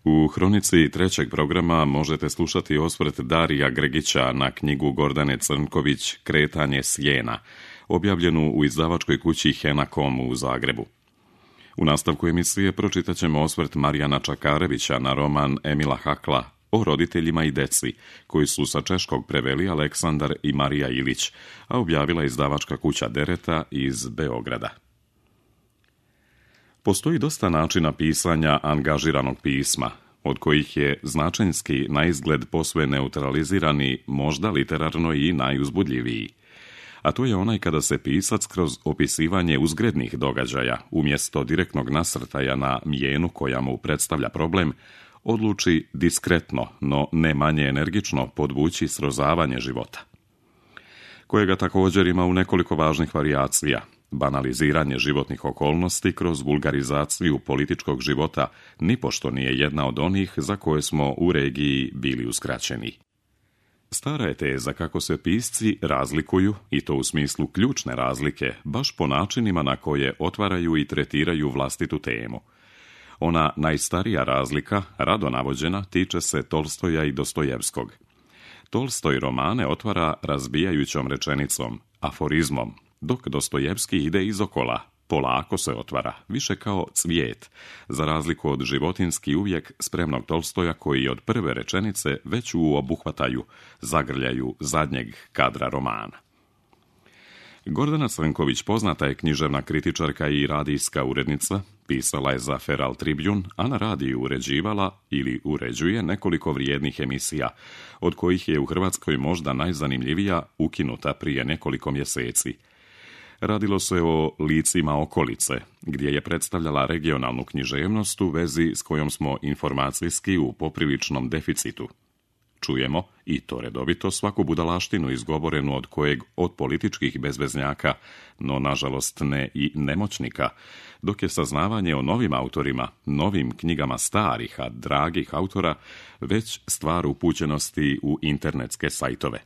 U hronici trećeg programa možete slušati osvrt Darija Gregića na knjigu Gordane Crnković Kretanje sjena, objavljenu u izdavačkoj kući Henakom u Zagrebu. U nastavku emisije pročitat ćemo osvrt Marijana Čakarevića na roman Emila Hakla o roditeljima i deci, koji su sa češkog preveli Aleksandar i Marija Ilić, a objavila izdavačka kuća Dereta iz Beograda. Postoji dosta načina pisanja angažiranog pisma, od kojih je značenjski naizgled posve neutralizirani, možda literarno i najuzbudljiviji. A to je onaj kada se pisac kroz opisivanje uzgrednih događaja, umjesto direktnog nasrtaja na mjenu koja mu predstavlja problem, odluči diskretno, no ne manje energično podvući srozavanje života, kojega također ima u nekoliko važnih varijacija. Banaliziranje životnih okolnosti kroz vulgarizaciju političkog života nipošto nije jedna od onih za koje smo u regiji bili uskraćeni. Stara je teza kako se pisci razlikuju, i to u smislu ključne razlike, baš po načinima na koje otvaraju i tretiraju vlastitu temu. Ona najstarija razlika, rado navođena, tiče se Tolstoja i Dostojevskog. Tolstoj romane otvara razbijajućom rečenicom, aforizmom, dok Dostojevski ide izokola, polako se otvara, više kao cvijet, za razliku od životinski uvijek spremnog Tolstoja koji od prve rečenice već u obuhvataju zagrljaju zadnjeg kadra romana. Gordana Crnković poznata je književna kritičarka i radijska urednica, pisala je za Feral Tribune, a na radiju uređivala ili uređuje nekoliko vrijednih emisija, od kojih je u Hrvatskoj možda najzanimljivija ukinuta prije nekoliko mjeseci. Radilo se o Licima okolice, gdje je predstavljala regionalnu književnost u vezi s kojom smo informacijski u popriličnom deficitu. Čujemo, i to redovito, svaku budalaštinu izgovorenu od kojeg od političkih bezveznjaka, no nažalost ne i nemoćnika, dok je saznavanje o novim autorima, novim knjigama starih, a dragih autora, već stvar upućenosti u internetske sajtove.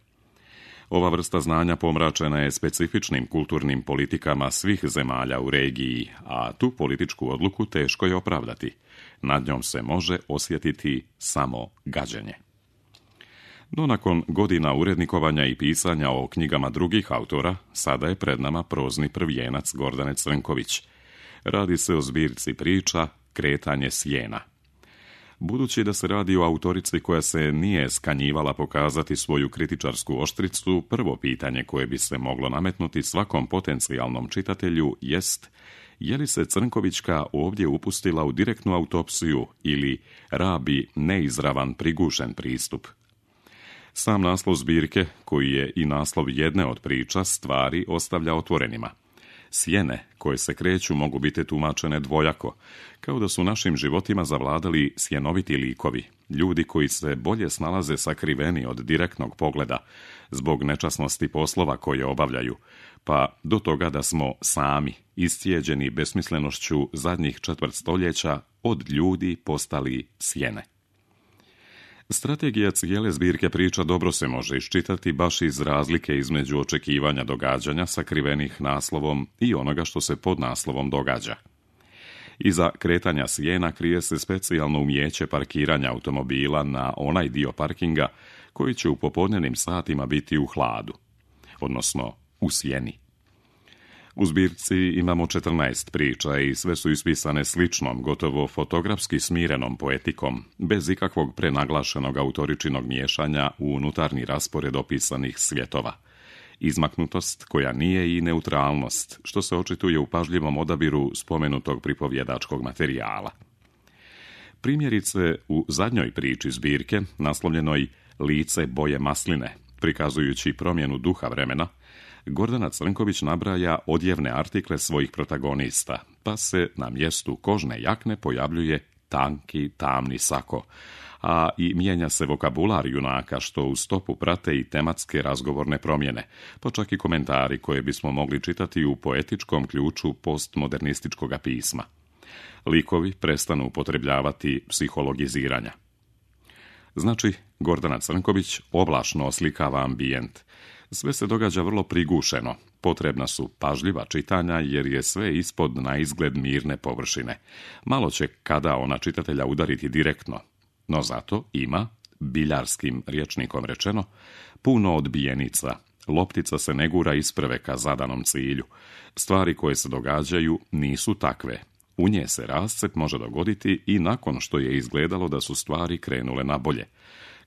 Ova vrsta znanja pomračena je specifičnim kulturnim politikama svih zemalja u regiji, a tu političku odluku teško je opravdati. Nad njom se može osjetiti samo gađenje. No nakon godina urednikovanja i pisanja o knjigama drugih autora, sada je pred nama prozni prvijenac Gordane Crnković. Radi se o zbirci priča Kretanje sjena. Budući da se radi o autorici koja se nije skanjivala pokazati svoju kritičarsku oštricu, prvo pitanje koje bi se moglo nametnuti svakom potencijalnom čitatelju jest: je li se Crnkovićka ovdje upustila u direktnu autopsiju ili rabi neizravan prigušen pristup? Sam naslov zbirke, koji je i naslov jedne od priča, stvari ostavlja otvorenima. Sjene koje se kreću mogu biti tumačene dvojako, kao da su našim životima zavladali sjenoviti likovi, ljudi koji se bolje snalaze sakriveni od direktnog pogleda, zbog nečasnosti poslova koje obavljaju, pa do toga da smo sami, iscijeđeni besmislenošću zadnjih 4 stoljeća, od ljudi postali sjene. Strategija cijele zbirke priča dobro se može iščitati baš iz razlike između očekivanja događanja sakrivenih naslovom i onoga što se pod naslovom događa. Iza kretanja sjena krije se specijalno umijeće parkiranja automobila na onaj dio parkinga koji će u popodnevnim satima biti u hladu, odnosno u sjeni. U zbirci imamo 14 priča i sve su ispisane sličnom, gotovo fotografski smirenom poetikom, bez ikakvog prenaglašenog autoričinog miješanja u unutarnji raspored opisanih svjetova. Izmaknutost koja nije i neutralnost, što se očituje u pažljivom odabiru spomenutog pripovjedačkog materijala. Primjerice, u zadnjoj priči zbirke, naslovljenoj Lice boje masline, prikazujući promjenu duha vremena, Gordana Crnković nabraja odjevne artikle svojih protagonista, pa se na mjestu kožne jakne pojavljuje tanki, tamni sako, a i mijenja se vokabular junaka, što u stopu prate i tematske razgovorne promjene, pa čak i komentari koje bismo mogli čitati u poetičkom ključu postmodernističkog pisma. Likovi prestanu upotrebljavati psihologiziranja. Znači, Gordana Crnković oblašno oslikava ambijent. Sve se događa vrlo prigušeno. Potrebna su pažljiva čitanja jer je sve ispod na izgled mirne površine. Malo će kada ona čitatelja udariti direktno, no zato ima, biljarskim rječnikom rečeno, puno odbijenica. Loptica se ne gura isprve ka zadanom cilju. Stvari koje se događaju nisu takve. U nje se rascep može dogoditi i nakon što je izgledalo da su stvari krenule na bolje.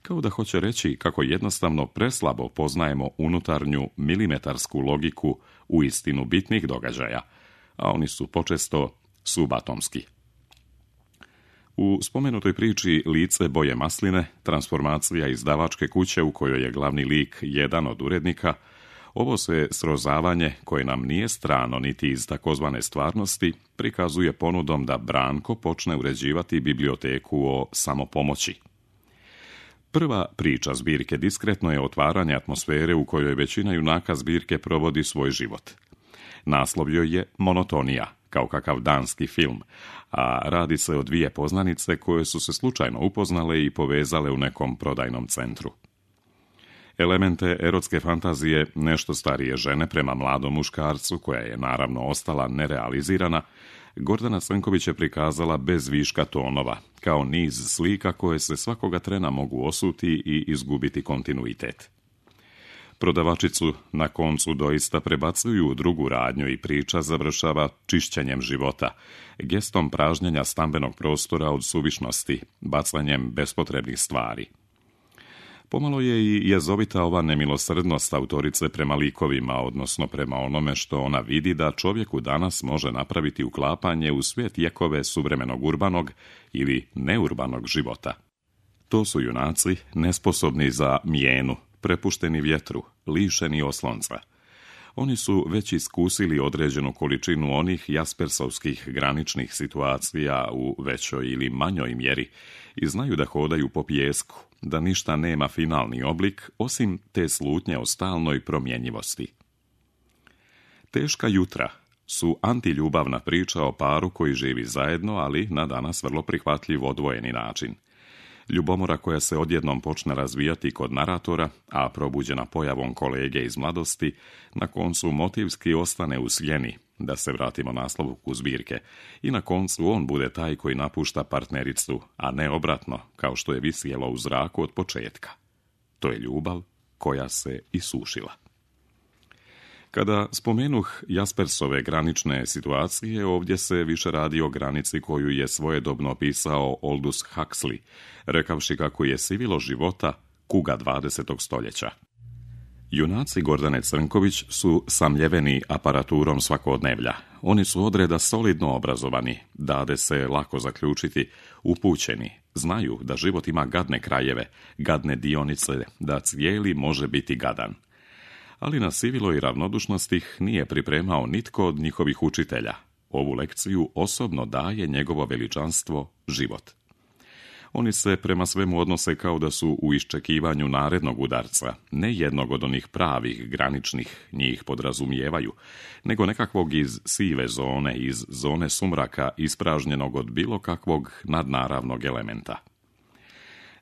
Kao da hoće reći kako jednostavno preslabo poznajemo unutarnju milimetarsku logiku uistinu bitnih događaja, a oni su počesto subatomski. U spomenutoj priči Lice boje masline, transformacija izdavačke kuće u kojoj je glavni lik jedan od urednika, ovo se srozavanje, koje nam nije strano niti iz takozvane stvarnosti, prikazuje ponudom da Branko počne uređivati biblioteku o samopomoći. Prva priča zbirke diskretno je otvaranje atmosfere u kojoj većina junaka zbirke provodi svoj život. Naslov joj je Monotonija, kao kakav danski film, a radi se o dvije poznanice koje su se slučajno upoznale i povezale u nekom prodajnom centru. Elemente erotske fantazije nešto starije žene prema mladom muškarcu, koja je naravno ostala nerealizirana, Gordana Crnković je prikazala bez viška tonova, kao niz slika koje se svakoga trena mogu osuti i izgubiti kontinuitet. Prodavačicu na koncu doista prebacuju u drugu radnju i priča završava čišćenjem života, gestom pražnjenja stambenog prostora od suvišnosti, bacanjem bespotrebnih stvari. Pomalo je i jezovita ova nemilosrdnost autorice prema likovima, odnosno prema onome što ona vidi da čovjeku danas može napraviti uklapanje u svijet jekove suvremenog urbanog ili neurbanog života. To su junaci nesposobni za mijenu, prepušteni vjetru, lišeni oslonca. Oni su već iskusili određenu količinu onih jaspersovskih graničnih situacija u većoj ili manjoj mjeri i znaju da hodaju po pijesku, da ništa nema finalni oblik osim te slutnje o stalnoj promjenjivosti. Teška jutra su antiljubavna priča o paru koji živi zajedno, ali na danas vrlo prihvatljiv odvojeni način. Ljubomora koja se odjednom počne razvijati kod naratora, a probuđena pojavom kolege iz mladosti, na koncu motivski ostane u sjeni, da se vratimo naslovku zbirke, i na koncu on bude taj koji napušta partnericu, a ne obratno, kao što je visjelo u zraku od početka. To je ljubav koja se isušila. Kada spomenuh Jaspersove granične situacije, ovdje se više radi o granici koju je svojedobno opisao Aldous Huxley, rekavši kako je sivilo života kuga 20. stoljeća. Junaci Gordane Crnković su samljeveni aparaturom svakodnevlja. Oni su odreda solidno obrazovani, dade se lako zaključiti, upućeni, znaju da život ima gadne krajeve, gadne dionice, da cijeli može biti gadan. Ali na siviloj ravnodušnosti ih nije pripremao nitko od njihovih učitelja. Ovu lekciju osobno daje njegovo veličanstvo život. Oni se prema svemu odnose kao da su u iščekivanju narednog udarca, ne jednog od onih pravih, graničnih, njih podrazumijevaju, nego nekakvog iz sive zone, iz zone sumraka ispražnjenog od bilo kakvog nadnaravnog elementa.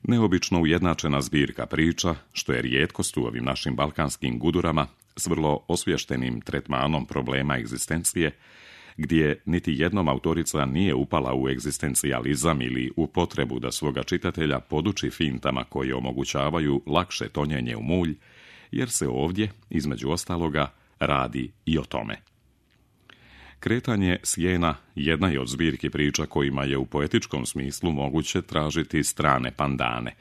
Neobično ujednačena zbirka priča, što je rijetkost u ovim našim balkanskim gudurama, s vrlo osvještenim tretmanom problema egzistencije, gdje niti jednom autorica nije upala u egzistencijalizam ili u potrebu da svoga čitatelja poduči fintama koje omogućavaju lakše tonjenje u mulj, jer se ovdje, između ostaloga, radi i o tome. Kretanje sjena jedna je od zbirki priča kojima je u poetičkom smislu moguće tražiti strane pandane,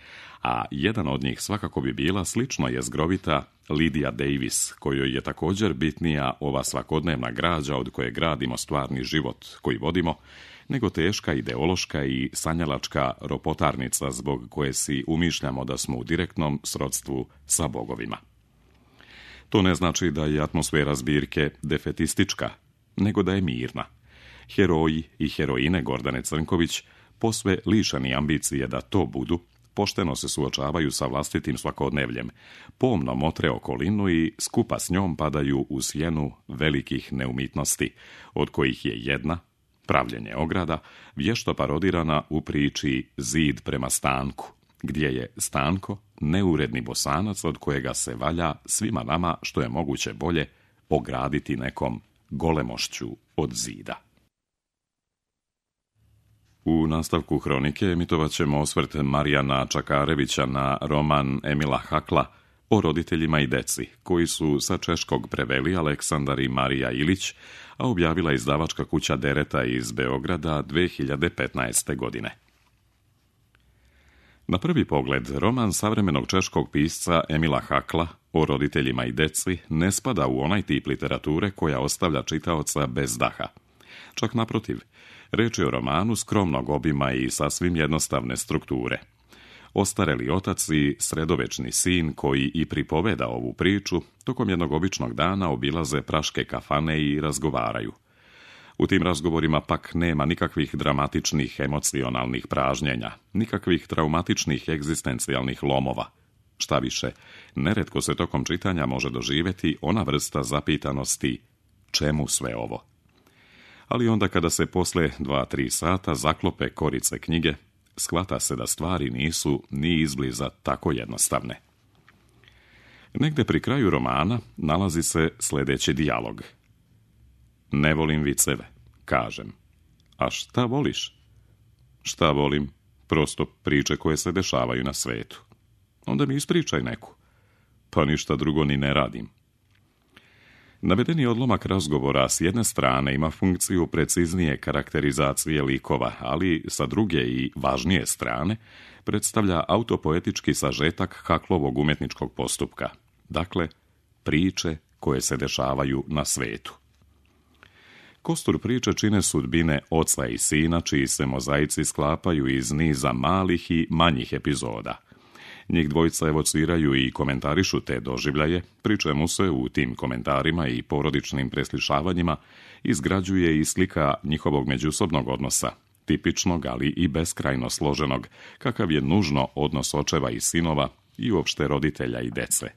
a jedan od njih svakako bi bila slično jezgrovita Lydia Davis, kojoj je također bitnija ova svakodnevna građa od koje gradimo stvarni život koji vodimo, nego teška ideološka i sanjalačka ropotarnica zbog koje si umišljamo da smo u direktnom srodstvu sa bogovima. To ne znači da je atmosfera zbirke defetistička, nego da je mirna. Heroji i heroine Gordane Crnković, posve lišeni ambicije da to budu, pošteno se suočavaju sa vlastitim svakodnevljem, pomno motre okolinu i skupa s njom padaju u sjenu velikih neumitnosti, od kojih je jedna, pravljenje ograda, vješto parodirana u priči Zid prema stanku, gdje je Stanko neuredni Bosanac od kojega se valja svima nama što je moguće bolje ograditi nekom golemošću od zida. U nastavku hronike emitovat ćemo osvrt Marijana Čakarevića na roman Emila Hakla o roditeljima i deci, koji su sa češkog preveli Aleksandar i Marija Ilić, a objavila izdavačka kuća Dereta iz Beograda 2015. godine. Na prvi pogled, roman savremenog češkog pisca Emila Hakla o roditeljima i deci ne spada u onaj tip literature koja ostavlja čitaoca bez daha. Čak naprotiv, reč je o romanu skromnog obima i sasvim jednostavne strukture. Ostareli otac i sredovečni sin koji i pripoveda ovu priču, tokom jednog običnog dana obilaze praške kafane i razgovaraju. U tim razgovorima pak nema nikakvih dramatičnih emocionalnih pražnjenja, nikakvih traumatičnih egzistencijalnih lomova. Šta više, neretko se tokom čitanja može doživjeti ona vrsta zapitanosti čemu sve ovo. Ali onda kada se posle 2-3 sata zaklope korice knjige, shvata se da stvari nisu ni izbliza tako jednostavne. Negde pri kraju romana nalazi se sljedeći dijalog. Ne volim viceve, kažem. A šta voliš? Šta volim? Prosto priče koje se dešavaju na svetu. Onda mi ispričaj neku. Pa ništa drugo ni ne radim. Navedeni odlomak razgovora s jedne strane ima funkciju preciznije karakterizacije likova, ali sa druge i važnije strane predstavlja autopoetički sažetak Haklovog umetničkog postupka. Dakle, priče koje se dešavaju na svetu. Kostur priče čine sudbine oca i sina, čiji se mozaici sklapaju iz niza malih i manjih epizoda. Njih dvojica evociraju i komentarišu te doživljaje, pri čemu se u tim komentarima i porodičnim preslišavanjima izgrađuje i slika njihovog međusobnog odnosa, tipičnog, ali i beskrajno složenog, kakav je nužno odnos očeva i sinova i uopšte roditelja i dece.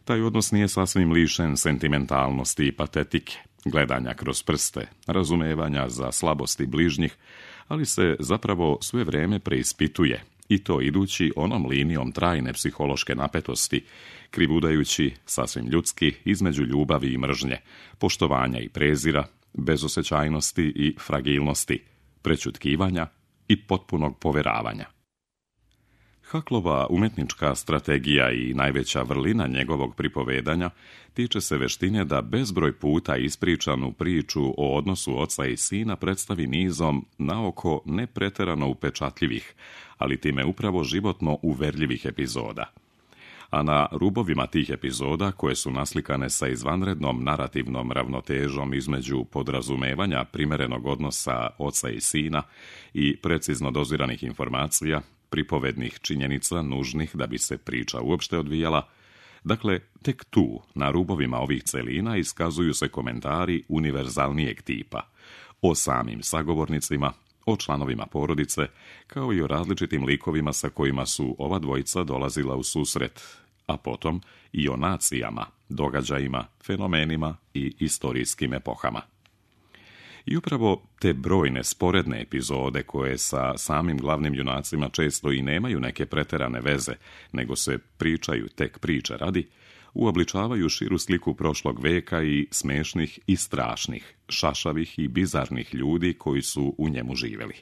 Taj odnos nije sasvim lišen sentimentalnosti i patetike, gledanja kroz prste, razumevanja za slabosti bližnjih, ali se zapravo sve vrijeme preispituje, i to idući onom linijom trajne psihološke napetosti, krivudajući sasvim ljudski između ljubavi i mržnje, poštovanja i prezira, bezosjećajnosti i fragilnosti, prećutkivanja i potpunog poveravanja. Haklova umetnička strategija i najveća vrlina njegovog pripovedanja tiče se veštine da bezbroj puta ispričanu priču o odnosu oca i sina predstavi nizom naoko nepreterano upečatljivih, ali time upravo životno uverljivih epizoda. A na rubovima tih epizoda, koje su naslikane sa izvanrednom narativnom ravnotežom između podrazumevanja primerenog odnosa oca i sina i precizno doziranih informacija, pripovednih činjenica nužnih da bi se priča uopšte odvijala, dakle, tek tu, na rubovima ovih celina, iskazuju se komentari univerzalnijeg tipa o samim sagovornicima, o članovima porodice, kao i o različitim likovima sa kojima su ova dvojica dolazila u susret, a potom i o nacijama, događajima, fenomenima i istorijskim epohama. I upravo te brojne sporedne epizode koje sa samim glavnim junacima često i nemaju neke preterane veze, nego se pričaju tek priče radi, uobličavaju širu sliku prošlog veka i smešnih i strašnih, šašavih i bizarnih ljudi koji su u njemu živjeli.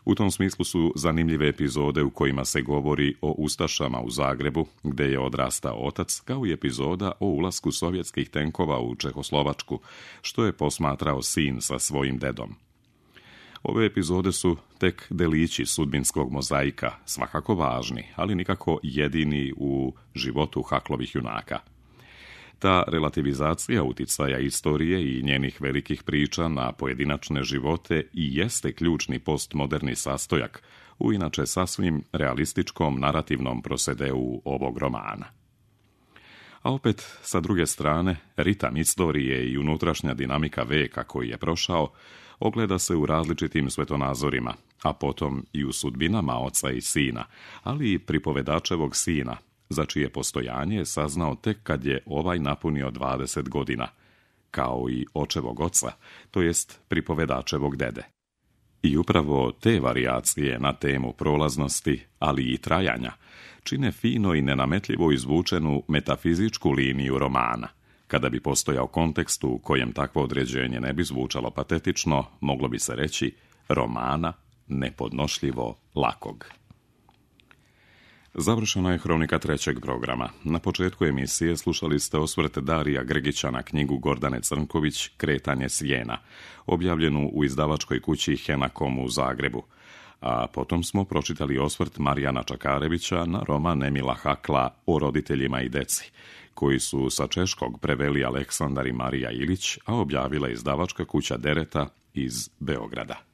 U tom smislu su zanimljive epizode u kojima se govori o ustašama u Zagrebu, gde je odrastao otac, kao i epizoda o ulasku sovjetskih tenkova u Čehoslovačku, što je posmatrao sin sa svojim dedom. Ove epizode su tek delići sudbinskog mozaika, svakako važni, ali nikako jedini u životu Haklovih junaka. Ta relativizacija uticaja istorije i njenih velikih priča na pojedinačne živote i jeste ključni postmoderni sastojak u inače sasvim realističkom narativnom prosedeu ovog romana. A opet, sa druge strane, ritam istorije i unutrašnja dinamika veka koji je prošao ogleda se u različitim svetonazorima, a potom i u sudbinama oca i sina, ali i pripovedačevog sina, za čije postojanje je saznao tek kad je ovaj napunio 20 godina, kao i očevog oca, to jest pripovedačevog dede. I upravo te varijacije na temu prolaznosti, ali i trajanja, čine fino i nenametljivo izvučenu metafizičku liniju romana. Kada bi postojao kontekst u kojem takvo određenje ne bi zvučalo patetično, moglo bi se reći romana nepodnošljivo lakog. Završena je hronika 3. programa. Na početku emisije slušali ste osvrt Darija Grgića na knjigu Gordane Crnković Kretanje sjena, objavljenu u izdavačkoj kući Henakom u Zagrebu. A potom smo pročitali osvrt Marijana Čakarevića na roman Emila Hakla O roditeljima i deci, koji su sa češkog preveli Aleksandar i Marija Ilić, a objavila izdavačka kuća Dereta iz Beograda.